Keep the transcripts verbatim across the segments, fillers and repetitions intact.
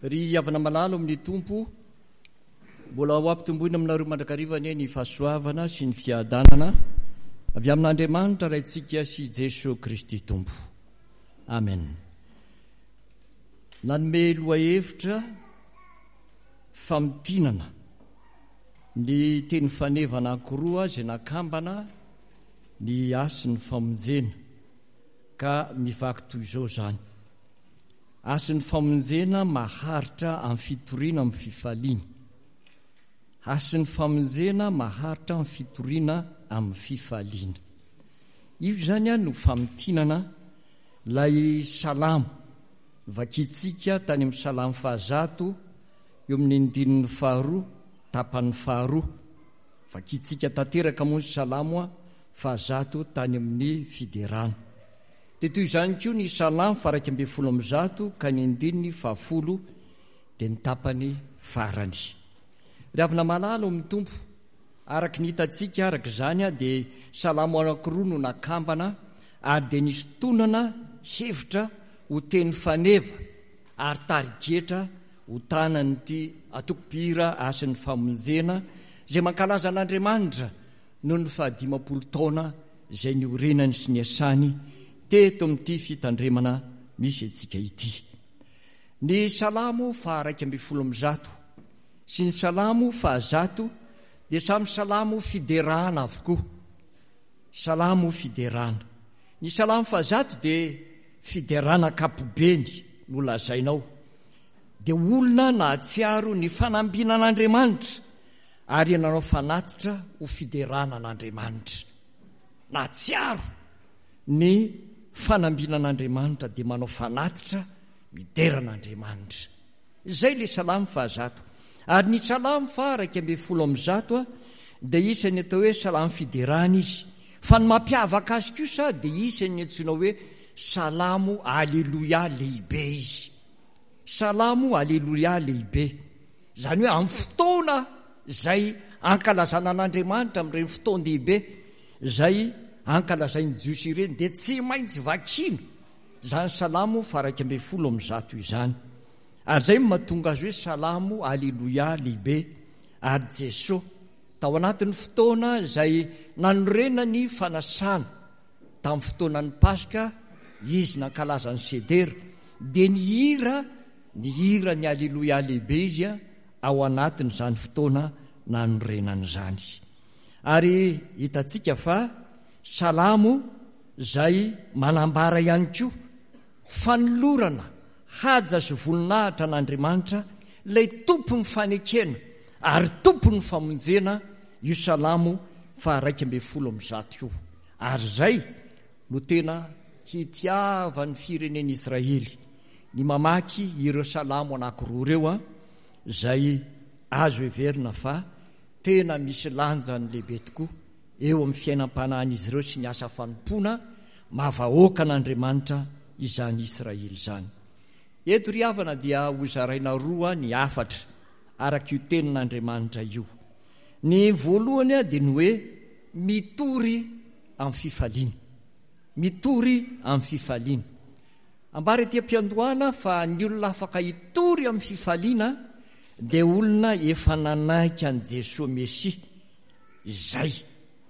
Ry havana malala amin'ny Tompo, mbola ho ampitomboina aminareo mandrakariva anie ny fahasoavana sy ny fiadanana avy amin'Andriamanitra Raintsika sy Jesoa Kristy Tompo. Amen. Nanome lohahevitra famintinana ny teny faneva anankiroa izay nakambana ny hasin'ny famonjena, ka mivaky toy izao izany. Hasin'ny famonjena maharitra amin'ny fitoriana amin'ny fifaliana. Hasin'ny famonjena maharitra amin'ny fitoriana amin'ny fifaliana. Io izany no famintinana ilay salamo vakintsika tany amin'ny salamo fahazato eo amin'ny andininy faharoa, tapany faharoa. Vakintsika tanteraka moa ny salamo fahazato tany amin'ny fiderana. Dia toy izany koa ny salamo faha-iraika ambin'ny folo amby zato ka ny andininy fahafolo dia ny tapany farany. Ry havana malala ao amin'ny Tompo, araka ny hitantsika araka izany dia salamo anankiroa no nakambana ary dia nisintonana hevitra ho teny faneva ary tarigetra ho tanan'ity antoko-mpihira Hasin'ny Famonjena izay mankalaza an'Andriamanitra noho ny fahadimampolo taona izay niorenany sy niasany teto amin'ity fitandremana misy antsika ity. Ny salamo faha-iraika ambin'ny folo amby zato sy ny salamo fahazato dia samy salamo fiderana avokoa. Salamo fiderana. Ny salamo fahazato dia fiderana ankapobeny no lazainao. Dia olona nahatsiaro ny fanambinan'Andriamanitra ary nanao fanatitra ho fiderana an'Andriamanitra. Nahatsiaro ny fanambinan'Andriamanitra dia manao fanatitra midera an'Andriamanitra. Izay ilay salamo fahazato. Ary ny salamo faha-iraika ambin'ny folo amby zato dia isan'ny atao hoe salamo fiderana izy. Fa ny mampiavaka azy kosa dia isan'ny antsoina hoe salamo aleloia lehibe izy. Salamo aleloia lehibe. Izany hoe amin'ny fotoana izay ankalazana an'Andriamanitra, amin'ireny fotoan-dehibe izay ankalazain'ny Jiosy ireny, dia tsy maintsy vakiana izany salamo faha-iraika ambin'ny folo amby zato izany. Ary izay no mahatonga azy hoe salamo aleloia lehibe. Ary Jesoa tao anatin'ny fotoana izay nanorenany fanasana tamin'ny fotoanan'ny Paska, izy nankalaza ny Sedera, dia nihira ny hira ny aleloia lehibe izy ao anatin'izany fotoana nanorenany izany. Ary hitantsika fa salamo izay manambara ihany koa fanolorana haja sy voninahitra an'Andriamanitra, ilay tompon'ny fanekena ary tompon'ny famonjena, io salamo faha-iraika ambin'ny folo amby zato io. Ary izay no tena hitiavan'ny firenen'Israely ny mamaky ireo salamo anankiroa ireo, izay azo heverina fa tena misy lanjany lehibe tokoa eo amin'ny fiainam-panahin'izy ireo sy ny asa fanompoana maha vahoaka an'Andriamanitra izany Israely izany. Eto ry havana dia hozaraina roa ny hafatra araka io tenin'Andriamanitra io. Ny voalohany dia ny hoe mitory amin'ny fifaliana. Mitory amin'ny fifaliana. Ambara ety am-piandohana fa ny olona afaka hitory amin'ny fifaliana dia olona efa nanaiky an'i Jesoa Mesia. Izay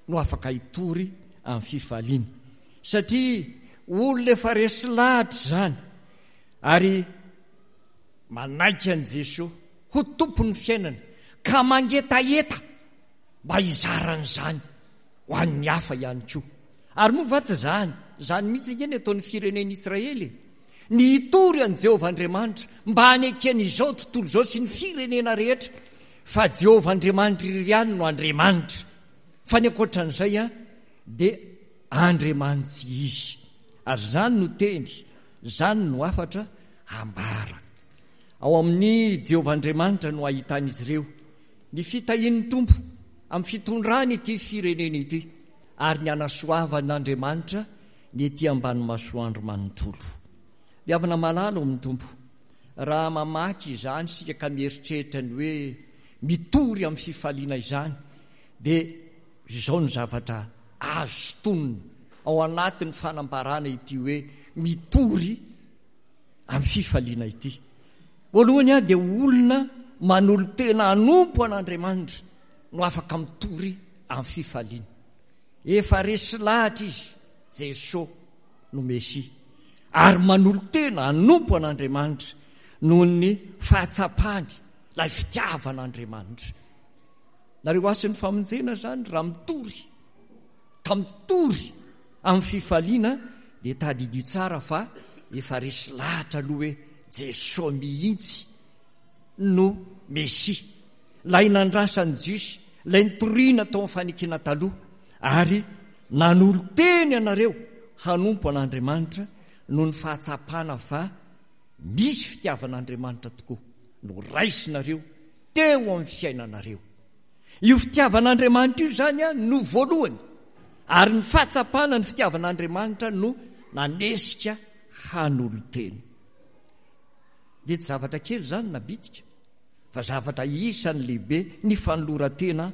no afaka hitory amin'ny fifaliana. Satria olona efa resy lahatra izany ary manaiky an'i Jesoa ho tompon'ny fiainana ka mangetaheta mba hizarana izany ho an'ny hafa ihany koa. Ary moa va tsy izany? Izany mihitsy ange ny ataon'ny firenen'Israely. Ny hitory an'i Jehovah Andriamanitra mba hanekeny izao tontolo izao sy ny firenena rehetra fa Jehovah Andriamanitra irery ihany no Andriamanitra. Fa ny ankoatran'izay dia Andriamanitsy izy. Ary izany no teny, izany no hafatra ambara. Ao amin'i Jehovah Andriamanitra no ahitan'izy ireo ny fitahian'ny Tompo amin'ny fitondrany ity firenena ity ary ny hanasoavan'Andriamanitra ny ety ambany masoandro manontolo. Ry havana malala ao amin'ny Tompo, raha mamaky izany isika ka mieritreritra ny hoe mitory amin'ny fifaliana izany, dia izao ny zavatra azo sintonina ao anatin'ny fanambarana ity hoe mitory amin'ny fifaliana ity. Voalohany dia olona manolo-tena hanompo an'Andriamanitra no afaka mitory amin'ny fifaliana. Efa resy lahatra izy, Jesoa no Mesia, ary manolo-tena hanompo an'Andriamanitra noho ny fahatsapany ilay fitiavan'Andriamanitra. Nareo hasin'ny famonjena izany raha mitory ka mitory amin'ny fifaliana dia tadidio tsara fa efa resy lahatra aloha hoe Jesoa mihitsy no Mesia, ilay nandrasan'ny Jiosy, ilay nitoriana tao amin'ny fanekena taloha, ary nanolo-teny anareo hanompo an'Andriamanitra noho ny fahatsapana fa misy fitiavan'Andriamanitra tokoa no raisinareo teo amin'ny fiainanareo. Io fitiavan'Andriamanitra io izany no voalohany, ary ny fahatsapana ny fitiavan'Andriamanitra no nanesika hanolo-tena. Dia tsy zavatra kely izany na bitika, fa zavatra isan'ny lehibe ny fanoloran-tena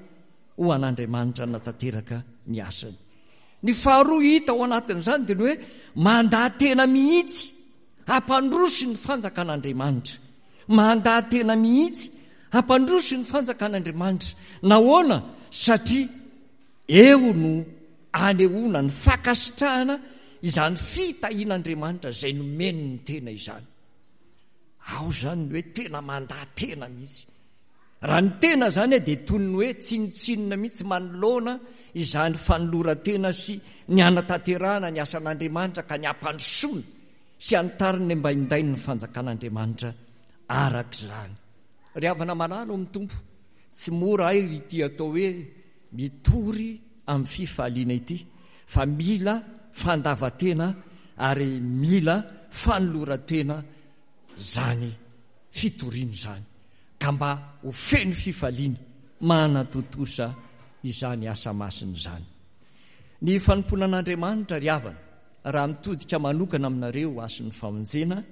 ho an'Andriamanitra natanteraka ny asany. Ny faharoa hita ao anatin'izany dia ny hoe mandà tena mihitsy hampandroso ny fanjakan'Andriamanitra. Mandà tena mihitsy hampandroso ny fanjakan'Andriamanitra. Nahoana? Satria eo no anehoana ny fankasitrahana izany fitahian'Andriamanitra izay nomeny ny tena izany. Ao izany ny hoe tena mandà tena mihitsy. Raha ny tena izany dia toy ny hoe tsinontsinona mihitsy manoloana izany fanoloran-tena sy ny hanatanterahana ny asan'Andriamanitra ka ny hampandrosoana sy hanitariny mba hindainy ny fanjakan'Andriamanitra araka izany. Ry havana malala ao amin'ny Tompo, tsy mora ay ry ity atao hoe mitory amin'ny fifaliana ity, fa mila fandavan-tena ary mila fanoloran-tena izany fitoriana izany, ka mba ho feno fifaliana manatontosa izany asa masina izany. Ny fanompoana an'Andriamanitra, ry havana, raha mitodika manokana aminareo hasin'ny famonjena,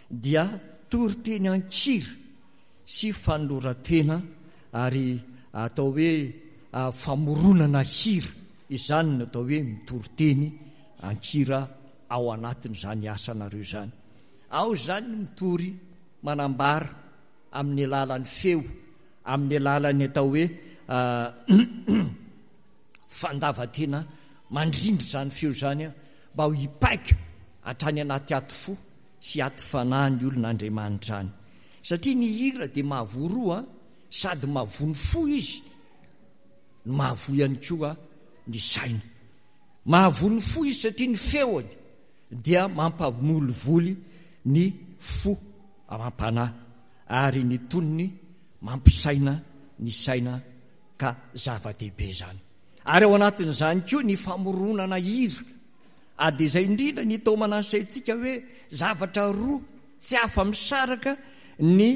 dia toriteny an-kira sy fanoloran-tena ary atao hoe famoronana hira. Izany no atao hoe mitoriteny an-kira ao anatin'izany asanareo izany. Ao izany ny mitory manambara amin'ny alalan'ny feo, amin'ny alalan'ny atao hoe fandavan-tena mandrindra izany feo izany mba ho hipaika hatrany anaty aty fo sy aty fanahy ny olon'Andriamanitra any. Satria ny hira dia mahavoa roa, sady mahavoa ny fo izy no mahavoa ihany koa ny saina. Mahavoa ny fo izy satria ny feony dia mampamolivoly ny fo amam-panahy, ary ny tonony mampisaina ny saina, ka zava-dehibe izany. Ary ao anatin'izany koa ny famoronana hira. Ary dia izay indrindra ny taomana ny saintsika hoe zavatra roa tsy afa-misaraka ny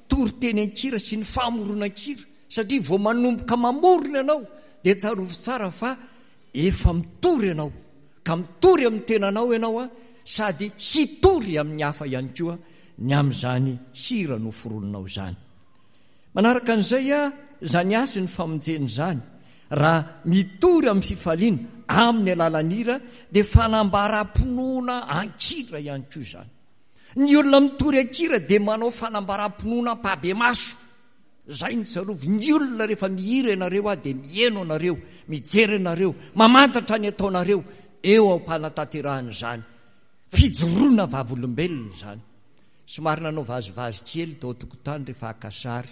toriteny an-kira sy ny famoronan-kira, satria vao manomboka mamorona ianao dia tsarovy tsara fa efa mitory ianao, ka mitory amin'ny tenanao ianao sady hitory amin'ny hafa ihany koa ny amin'izany hira noforoninao izany. Manaraka an'izay izany asa ny famonjena izany, raha mitory amin'ny fifaliana amin'ny alalan'ny hira dia fanambaram-pinoana an-kira ihany koa izany. Ny olona mitory an-kira dia manao fanambaram-pinoana ampahibemaso. Izay no tsarovy, ny olona rehefa mihira ianareo aho dia miheno anareo, mijery anareo, mamantatra ny ataonareo eo am-panatanterahana izany. Fijoroana vavolombelona izany. Somary nanao vazivazy kely tao an-tokotany rehefa haka sary.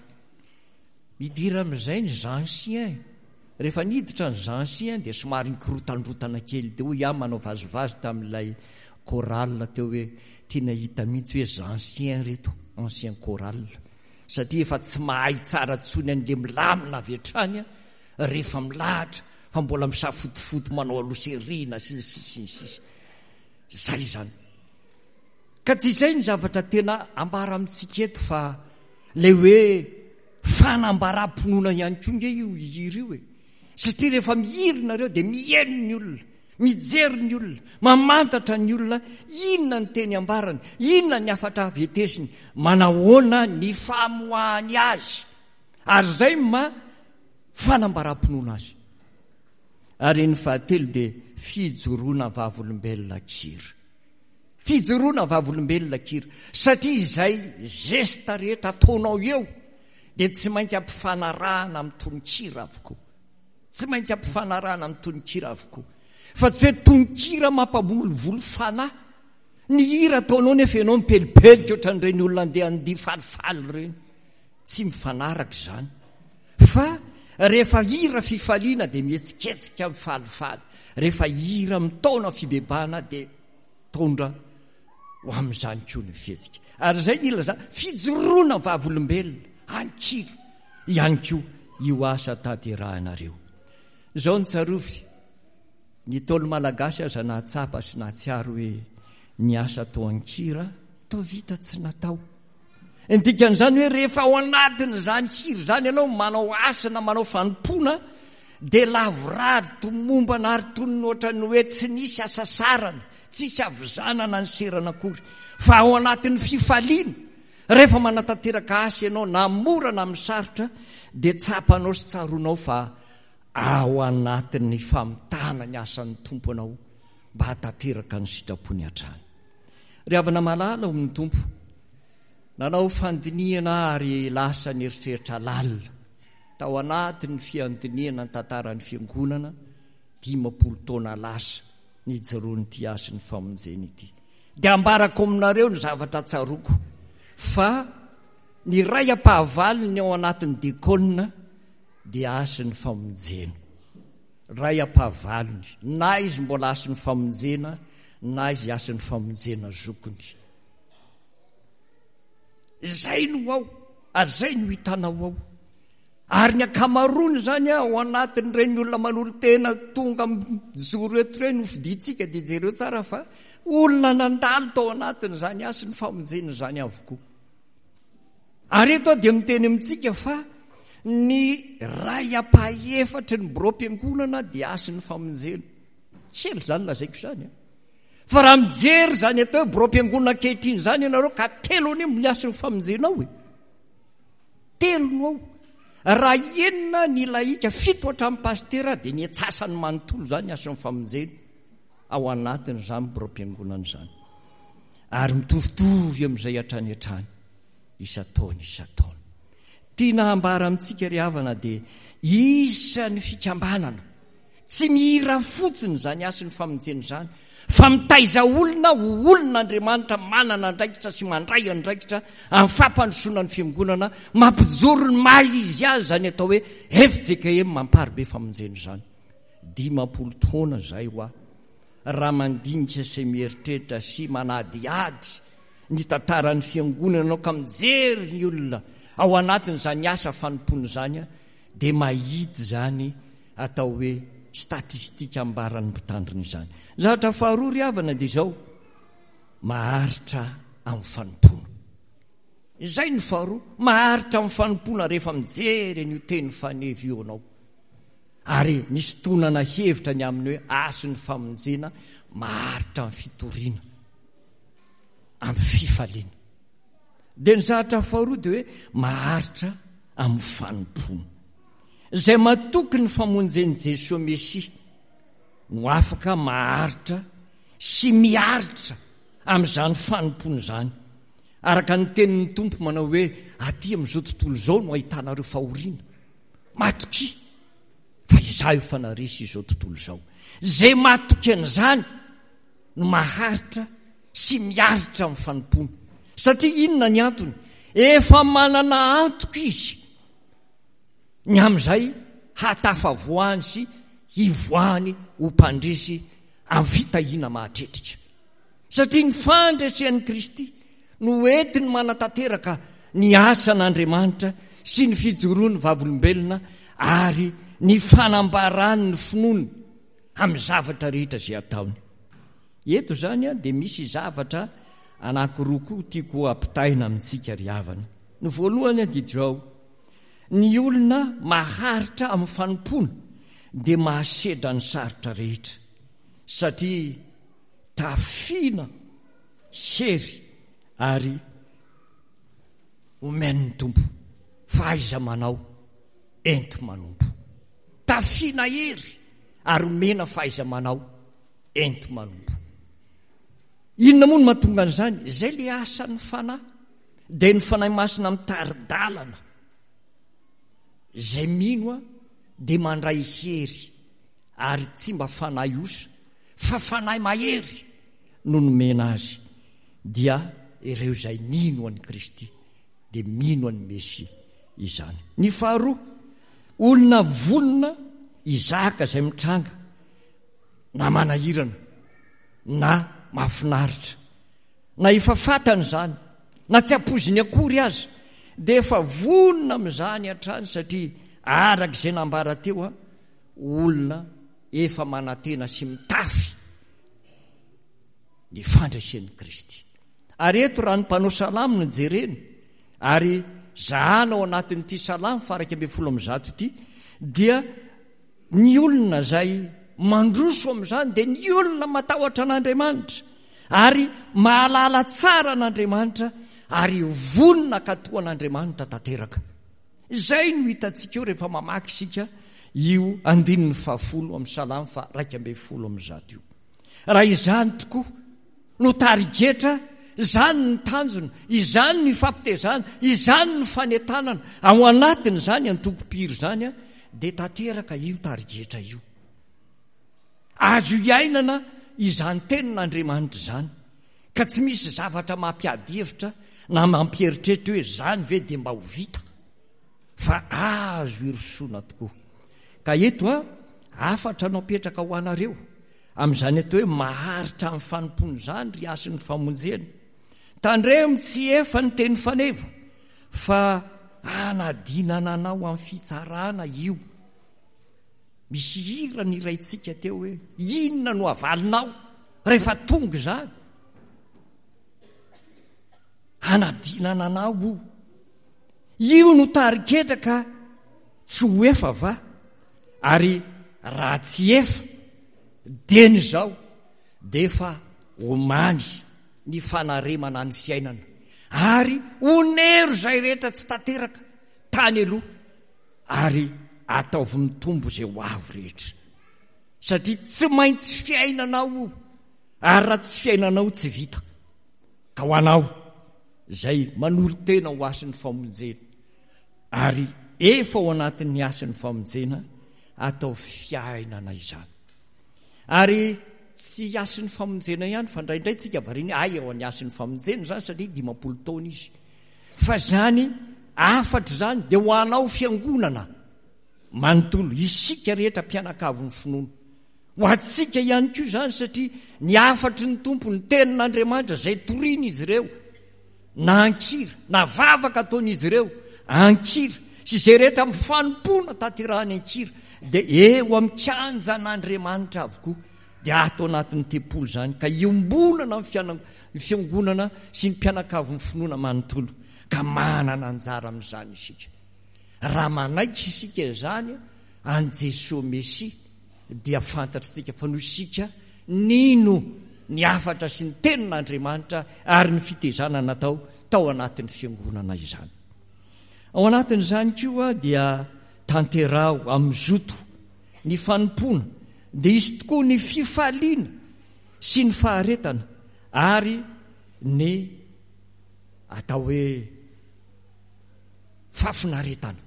Midira amin'izay ny anciens. Rehefa niditra ny anciens dia somary nikorotandrotana kely. Dia hoy aho manao vazivazy tamin'ilay chorale teo hoe tena hita mihitsy hoe anciens reto, ancien chorale. Satria efa tsy mahay tsara intsony an'ilay milamina avy hatrany rehefa milahatra fa mbola misafotofoto manao aloha sy ny sisa sy ny sisa. Izay izany. Ka tsy izay ny zavatra tena ambara amintsika eto fa ilay hoe fanambaram-pinoana ihany koa nge io hira io e. Satria rehefa mihira nareo dia miheno ny olona, mijery ny olona, mamantatra ny olona inona ny teny ambarany, inona ny hafatra vetesiny, manahoana ny famoahany azy. Ary izay ma fanambaram-pinoana azy. Ary ny fahatelo dia fijoroana vavolombelona an-kira. Fijoroana vavolombelona an-kira. Satria izay geste rehetra ataonao eo dia tsy maintsy ampifanarahana amin'ny tononkira avokoa. Tsy maintsy ampifanarahana amin'ny tononkira avokoa. Fa tsy hoe tononkira mampamolivoly fanahy. Ny hira ataonao nefa ianao mipelipelika ohatran'ireny olona andeha handihy falifaly ireny. Tsy mifanaraka izany. Fa rehefa hira fifaliana dia mihetsiketsika mifalifaly. Rehefa hira mitaona fibebahana dia mitondra ho amin'izany koa ny fihetsika. Ary izay ny ilazana fijoroana vavolombelona an-kira ihany koa io asa tanterahinareo. Izao no tsarovy, ny Ntaolo malagasy aza nahatsapa sy nahatsiaro hoe ny asa atao an-kira toa vita tsy natao. Ny dikan'izany hoe rehefa ao anatin'izany hira izany ianao manao asa na manao fanompoana dia lavorary, tomombana ary toy ny ohatran'ny hoe tsy nisy hasasarana, tsisy havizanana niserana akory fa ao anatin'ny fifaliana. Rehefa manatanteraka asa ianao na mora na amin'ny sarotra dia tsapanao sy tsaroanao fa ao anatin'ny famitana ny asan'ny Tompo anao mba hahatanteraka ny sitrapony hatrany. Ry havana malala ao amin'ny Tompo, nanao fandinihana aho ary lasa nieritreritra lalina tao anatin'ny fiandinihana ny tantaran'ny Fiangonana dimampolo taona lasa nijoroan'ity hasin'ny famonjena ity. Dia ambarako aminareo ny zavatra tsaroako fa ny iray ampahavalony ao anatin'ny diakona dia hasin'ny famonjena. Iray ampahavalony, na izy mbola hasin'ny famonjena na izy hasin'ny famonjena zokiny. Izay no ao, ary izay no hitanao ao. Ary ny ankamaroany izany ao anatin'ireny olona manolo-tena tonga mijoro eto ireny ho fidintsika dia jereo tsara fa olona nandalo tao anatin'izany hasin'ny famonjena izany avokoa. Ary eto aho dia miteny amintsika fa ny iray ampahefatry ny biraom-piangonana dia hasin'ny famonjena. Kely izany lazaiko izany an. Fa raha mijery izany atao hoe biraom-piangonana ankehitriny izany ianareo ka telo anie no hasin'ny famonjena ao e. Telo no ao. Raha enina ny lahika, fito hatramin'ny pasitera dia ny antsasany manontolo izany hasin'ny famonjena ao anatin'izany biraom-piangonana izany. Ary mitovitovy amin'izay hatrany hatrany isan-taona isan-taona. Tiana hambara amintsika ry havana dia isan'ny fikambanana tsy mihira fotsiny izany hasin'ny famonjena izany fa mitaiza olona ho olon'Andriamanitra manana andraikitra sy mandray andraikitra amin'ny fampandrosoana ny fiangonana, mampijoro ny maha izy azy izany atao hoe F J K M Amparibe Famonjena izany. Dimampolo taona izay hoa raha mandinika sy mieritreritra sy manadihady ny tantaran'ny fiangonana ianao ka mijery ny olona ao anatin'izany asa fanompoana izany dia mahita izany atao hoe statistika ambaran'ny mpitandrina izany. Zavatra faharoa ry havana dia izao, maharitra amin'ny fanompoana. Izay ny faharoa, maharitra amin'ny fanompoana rehefa mijery an'io teny faneva io ianao. Ary nisintonana hevitra ny amin'ny hoe hasin'ny famonjena, maharitra amin'ny fitoriana, amin'ny fifaliana. Dia ny zavatra faharoa dia hoe maharitra amin'ny fanompoana. Izay matoky ny famonjen'i Jesoa Mesia no afaka maharitra sy miaritra amin'izany fanompoana izany. Araka ny tenin'ny Tompo manao hoe aty amin'izao tontolo izao no ahitanareo fahoriana. Matokia fa izaho efa naresy izao tontolo izao. Izay matoky an'izany no maharitra sy miaritra amin'ny fanompoana. Satria inona ny antony? Efa manana antoka izy ny amin'izay hahatafavoahany sy hivoahany ho mpandresy amin'ny fitahiana mahatretrika. Satria ny fandresen'i Kristy no entiny manatanteraka ny asan'Andriamanitra sy ny fijoroany vavolombelona ary ny fanambarany ny finoany amin'ny zavatra rehetra izay ataony. Eto izany dia misy zavatra anankiroa koa tiako hampitaina amintsika ry havana. Ny voalohany dia izao, ny olona maharitra amin'ny fanompoana dia mahasedra ny sarotra rehetra satria tafiana hery ary omen'ny Tompo fahaiza-manao enti-manompo. Tafiana hery ary omena fahaiza-manao enti-manompo. Inona moa no mahatonga an'izany? Izay ilay asan'ny Fanahy, dia ny Fanahy Masina mitari-dalana. Izay mino dia mandray hery, ary tsy mba fanahy osa, fa fanahy mahery no nomena azy, dia ireo izay nino an'i Kristy, dia mino an'i Mesia izany. Ny faharoa, olona vonona hizaka izay mitranga, na manahirana, na mahafinaritra, na efa fantany izany, na tsy ampoiziny akory aza, dia efa vonona amin'izany hatrany, satria araka izay nambara teo, olona efa manantena sy mitafy ny fandresen'i Kristy. Ary eto raha ny mpanao salamo no jerena, ary zahana ao anatin'ity salamo faha iraika ambin'ny folo amby zato ity, dia ny olona izay mandroso amin'izany dia ny olona matahotra an'Andriamanitra ary mahalala tsara an'Andriamanitra ary vonona hankatò an'Andriamanitra tanteraka. Izay no hitantsika eo rehefa mamaky isika io andininy fahafolo amin'ny salamo faha iraika ambin'ny folo amby zato io. Raha izany tokoa no tarigetra, izany ny tanjona, izany ny fampitezana, izany ny fanentanana ao anatin'izany antokom-piry izany, dia tanteraka io tarigetra io. Azo iainana izany tenin'Andriamanitra izany, ka tsy misy zavatra mampiady hevitra na mampieritreritra hoe izany ve dia mba ho vita, fa azo irosoana tokoa. Ka eto a, hafatra no apetraka ho anareo amin'izany atao hoe maharitra amin'ny fanompoana izany, ry hasin'ny famonjena. Tandremo tsy efa ny teny faneva, fa hanadinana anao amin'ny fitsarana io. Misy hira niraintsika teo hoe inona no havalinao rehefa tonga izany? Hanadinana anao io. Io no tari-ketra ka tsy ho efa va? Ary raha tsy efa dieny izao dia efa omany ny fanaremana ny fiainana, ary onero izay rehetra tsy tanteraka tany aloha, ary ataovy mitombo izay ho avy rehetra, satria tsy maintsy fiainanao io, ary raha tsy fiainanao tsy vita. Ka ho anao izay manolo-tena ho hasin'ny famonjena, ary efa ao anatin'ny hasin'ny famonjena, ataovy fiainana izany. Ary tsy hasin'ny famonjena ihany, fa indraindray tsika variana hoe, ay, ao an'ny hasin'ny famonjena izany satria dimampolo taona izy. Fa izany hafatra izany dia ho anao fiangonana manontolo, isika rehetra mpianakavin'ny finoana. Ho antsika ihany koa izany, satria ny hafatry ny Tompo, ny tenin'Andriamanitra izay torian'izy ireo, na an-kira, na vavaka ataon'izy ireo an-kira, sy izay rehetra amin'ny fanompoana tanterahany an-kira, dia eo amin'ny kianjan'Andriamanitra avokoa, dia ato anatin'ny tempoly izany, ka iombonana amin'ny fiana-, ny fiangonana sy ny mpianakavin'ny finoana manontolo, ka manana anjara amin'izany isika. Raha manaiky isika izany an'i Jesoa Mesia, dia fantatr'isika fa noho isika nino ny hafatra sy ny tenin'Andriamanitra ary ny fitezana natao tao anatin'ny fiangonana izany. Ao anatin'izany koa dia tanteraho amin'ny zoto ny fanompoana, dia hisy tokoa ny fifaliana sy ny faharetana ary ny atao hoe fahafinaretana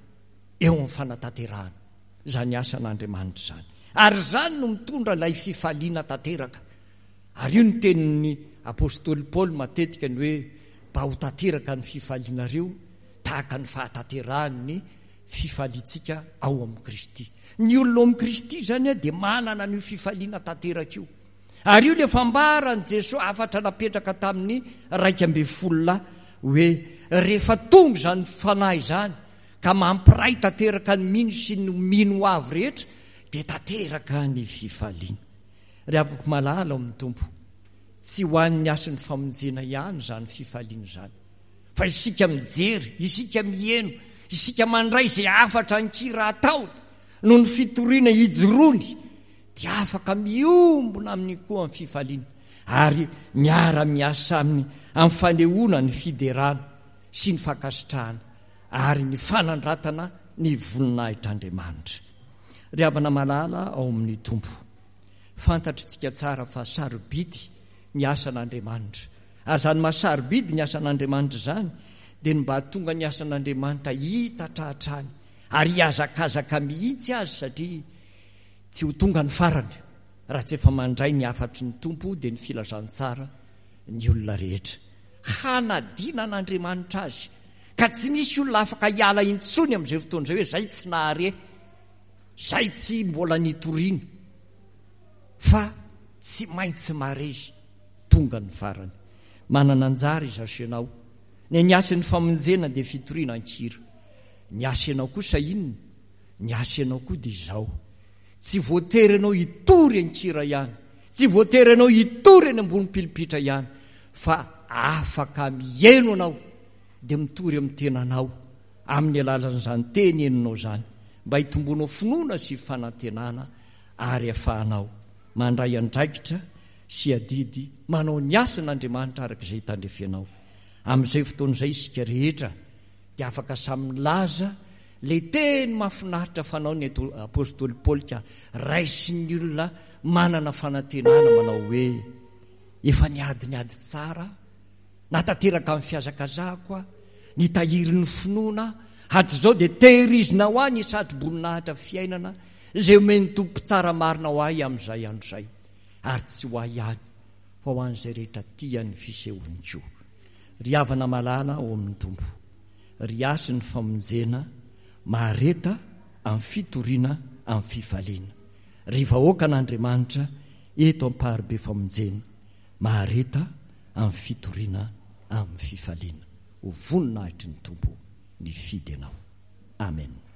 eo amin'ny fanatanterahana izany asan'Andriamanitra izany. Ary izany no mitondra ilay fifaliana tanteraka. Ary io no tenin'ny apostoly Paoly matetika, ny hoe mba ho tanteraka ny fifalianareo tahaka ny fahatanterahan'ny fifaliantsika ao amin'i Kristy. Ny olona ao amin'i Kristy izany dia manana an'io fifaliana tanteraka io. Ary io ilay fambaran'i Jesoa hafatra napetraka tamin'ny iraika ambin'ny folo lahy hoe rehefa tonga izany fanahy izany ka mampiray tanteraka ny mino sy ny mino ho avy rehetra, dia tanteraka ny fifaliana. Ry havako malala ao amin'ny Tompo, tsy ho an'ny hasin'ny famonjena ihany izany fifaliana izany, fa isika mijery, isika miheno, isika mandray izay hafatra an-kira ataony noho ny fitoriana ijoroany, dia afaka miombona aminy koa amin'ny fifaliana ary miara-miasa aminy amin'ny fanehoana ny fiderana sy ny fankasitrahana ary ny fanandratana ny voninahitr'Andriamanitra. Ry havana malala ao amin'ny Tompo, fantatritsika tsara fa sarobidy ny asan'Andriamanitra. Ary izany maha sarobidy ny asan'Andriamanitra izany dia ny mba hahatonga ny asan'Andriamanitra hitatra hatrany ary hihazakazaka mihitsy azy satria tsy ho tonga ny farany raha tsy efa mandray ny hafatry ny Tompo dia ny filazantsara ny olona rehetra. Hanadina an'Andriamanitra azy ka tsy misy olona afaka hiala intsony amin'izay fotoana izay hoe zay tsy nahare, zay tsy mbola nitoriana, fa tsy maintsy mahare izy tonga ny farany. Manana anjara izaho sy ianao. Ny ny asan'ny famonjena dia fitoriana an-kira. Ny asa ianao kosa inona? Ny asa ianao koa dia izao. Tsy voatery ianao hitory an-kira ihany. Tsy voatery ianao hitory eny ambony pilipitra ihany, fa afaka mihaino anao dia mitory amin'ny tenanao amin'ny alalan'izany teny henonao izany mba hitomboanao finoana sy fanantenana ary afahanao mandray andraikitra sy adidy manao ny asan'Andriamanitra araka izay tandrefenao. Amin'izay fotoana izay isika rehetra dia afaka samy milaza ilay teny mahafinaritra fanao ny apostoly Paoly ka raisin'ny olona manana fanantenana manao hoe efa niady ny ady tsara, natanteraka amin'ny fihazakazahako aho, nitahiry ny finoana hatrizao dia tehirizina ho ahy ny satro-boninahitra fiainana izay omen'ny Tompo tsara marina ho ahy amin'izay andro izay, ary tsy ho ahy ihany fa ho an'izay rehetra tia ny fisehoany koa. Ry havana malala ao amin'ny Tompo, ry hasin'ny famonjena, mahareta amin'ny fitoriana amin'ny fifaliana. Ry vahoakan'Andriamanitra eto am-paribe famonjena, mahareta amin'ny fitoriana amin'ny fifaliana. Ho voninahitry ny Tompo nifidy anao. Amen.